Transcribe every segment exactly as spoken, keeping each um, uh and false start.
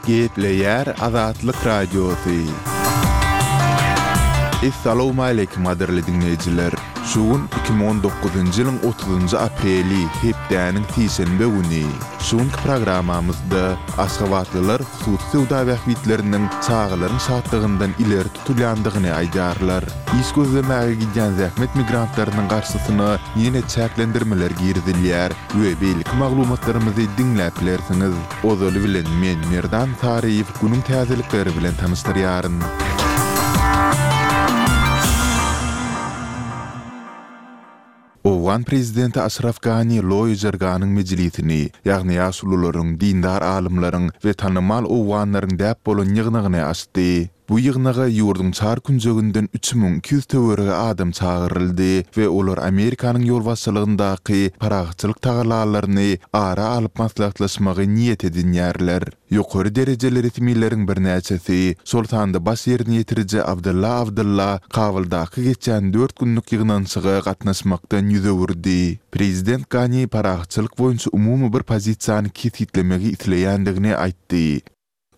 Gepleýär Azatlyk Radiosy. Essalawmaleýkim gadyrly diňleýjiler! Şu gün iki müň on dokuzynjy ýylyň otuzynjy apreli, hepdäniň sişenbe güni. Şu günki programmamyzda aşgabatlylar hususy söwda bähbitleriniň çagalaryň şatlygyndan ileri tutulýandygyny aýdýarlar. Iş gözlemäge gidýän zähmet migrantlarynyň garşysyna ýene çäklendirmeler girizilýär we beýleki maglumatlarymyzy diňläp bilersiňiz. Ozaly bilen men, Merdan Saryýew, günüň täzelikleri bilen tanyşdyrýaryn. Owgan prezidenti Aşraf Gani Loýa Jirganyň mejlisini, ýagny ýaşulularyň, dindar alymlaryň we tanymal owganlaryň däp bolan ýygnagyny açdy. Bu ýygnaga ýurduň çar künjeginden üç müň iki ýüz töweregi adam çagyryldy we olar Amerikanyň ýolbaşçylygyndaky parahatçylyk tagallalaryny ara alyp maslahatlaşmagy niýet edinýärler. Ýokary derejeli resmileriň birnäçesi, şol sanda baş ýerine ýetiriji Abdylla Abdylla Kabuldaky geçýän dört günlük ýygnanyşyga gatnaşmakdan ýüz öwürdi. Prezident Gani parahatçylyk boýunça umumy bir pozisiýany kesgitlemegi isleýändigini aýtdy.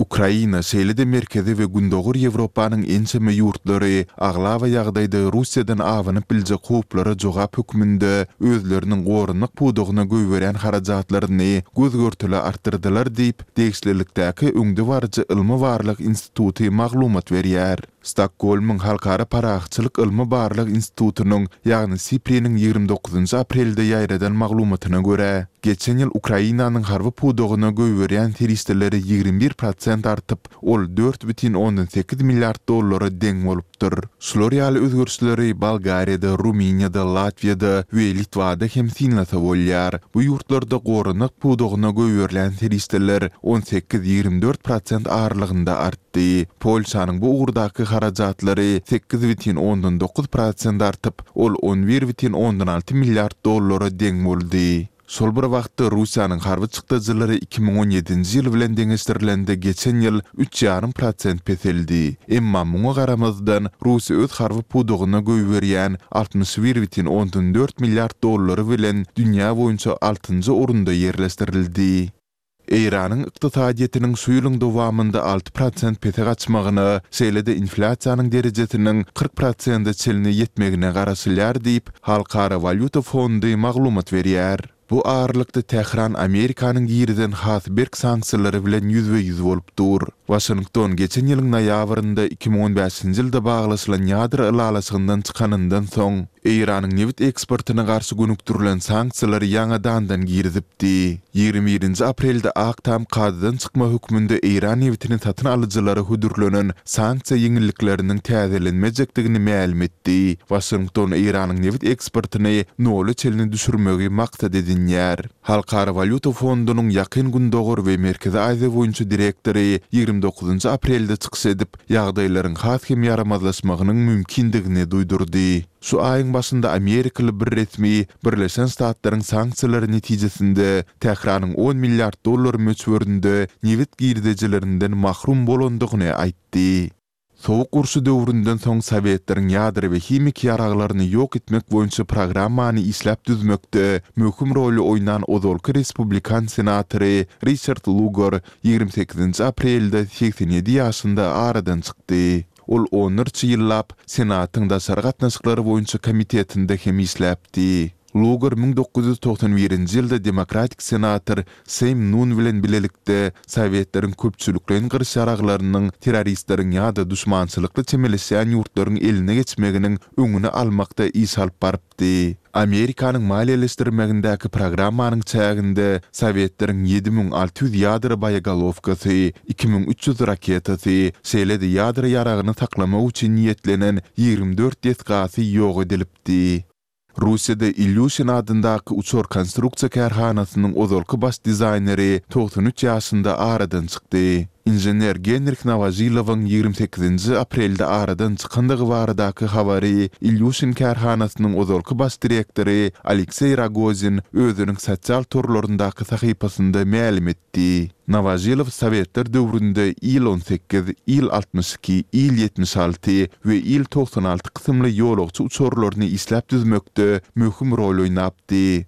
Ukraina, şeýle-de Merkezi we Gündogar Ýewropanyň ençeme ýurtlary aglaba ýagdaýda Russiýadan abanyp biljek howplara jogap hökmünde özleriniň goranmak pudagyna goýberýän harajatlaryny göz-görtele artdyrdylar diýip, degişlilikdäki öňdebaryjy ylmy-barlag instituty maglumat berýär. Stokgolmyň Halkara parahatçylyk ylmy-barlag institutynyň, ýagny SIPRI-niň ýigrimi dokuzynjy aprelde ýaýradan maglumatyna görä, geçen ýyl Ukrainanyň harby pudagyna goýberýän serişdeleri ýigrimi bir prosent artyp, ol dört bütin ondan sekiz milliard dollara deň bolupdyr. Şular ýaly özgerişleri Bolgariýada, Rumyniýada, Latwiýada we Litwada hem synlasa bolýar. Bu ýurtlarda goranmak pudagyna goýberilýän serişdeler on sekiz-ýigrimi dört prosent aralygynda artdy. Polşanyň bu ugurdaky harajatlary sekiz bütin ondan dokuz prosent artyp, ol on bir bütin ondan alty milliard dollara deň boldy. Şol bir wagtda, Russiýanyň harby çykdajylary iki müň on ýedinji ýyl bilen deňeşdirilende geçen ýyl üç ýarym prosent peseldi. Emma muňa garamazdan, Russiýa öz harby pudagyna goýberýän altmyş bir bütin ondan dört milliard dollary bilen dünýä boýunça altynjy orunda ýerleşdirildi. Eýranyň ykdysadyýetiniň şu ýylyň dowamynda alty prosent pese gaçmagyna, şeýle-de inflýasiýanyň derejesiniň kyrk prosente çenli ýetmegine garaşylýar diýip, Halkara walýuta fondy maglumat berýär. Bu aralykda Tähran Amerikanyň girizen has berk sanksiýalary bilen ýüzbe-ýüz bolup dur. Waşington geçen ýylyň noýabrynda iki müň on bäşinji ýylda baglaşylan ýadro ylalaşygyndan çykanyndan soň, Eýranyň nebit eksportyna garşy gönükdirilen sanksiýalary ýaňadandan girizipdi. Ýigrimi birinji aprelde Ak Tam kadadan çykma hökmünde eýran nebitini satyn alyjylara hödürlenen sanksiýa ýeňillikleriniň täzelenmejekdigini mälim etdi. Waşington Eýranyň nebit eksportyny nola çenli düşürmegi maksat edinýär. Halkara walýuta fondunyň Ýakyn Gündogar we Merkezi Aziýa boýunça direktory ýigrimi dokuzynjy aprelde çykyş edip, ýagdaýlaryň has hem ýaramazlaşmagynyň mümkindigini duýdurdy. Şu aýyň başynda amerikaly bir resmi Birleşen Ştatlaryň sanksiýalary netijesinde Tähranyň on milliard dollar möçberinde nebit girdejilerinden mahrum bolandygyny aýtdy. Sowuk urşy döwründen soň sowetleriň ýadro we himiki ýaraglaryny ýok etmek boýunça programmany işläp düzmekde möhüm roly oýnan ozalky respublikan senatory Riçard Lugar ýigrimi sekizinji aprelde segsen ýedi ýaşynda aradan çykdy. Ol onlarça ýyllap Senatyň daşary gatnaşyklar boýunça komitetinde hem işläpdi. Lugar müň dokuz ýüz togsan birinji ýylda demokratik senator Sem Nun bilen bilelikde sowetleriň köpçülikleýin gyryş ýaraglarynyň terroristleriň ýa-da duşmançylykly çemeleşýän ýurtlaryň eline geçmeginiň öňüni almakda iş alyp barypdy. Amerikanyň maliýeleşdirmegindäki programmanyň çäginde sowetleriň ýedi müň alty ýüz ýadro boýegolowkasy, iki müň üç ýüz raketasy, şeýle-de ýadro ýaragyny saklamak üçin niýetlenen ýigrimi dört desgasy ýok edilipdi. Russiýada Ilýuşin adyndaky uçar konstruksiýa kärhanasynyň ozalky baş dizaýneri togsan üç ýaşynda aradan çykdy. Inžener Genrih Nowožilowyň ýigrimi sekizinji aprelde aradan çykandygy baradaky habary Ilýuşin kärhanasynyň ozalky baş direktory Alekseý Rogozin özüniň sosial torlaryndaky sahypasynda mälim etdi. Etdi. Nowožilow sowetler döwründe Il on sekiz, Il altmyş iki, Il ýetmiş alty we Il togsan alty kysymly ýolagçy uçarlaryny işläp düzmekde möhüm rol oýnapdy.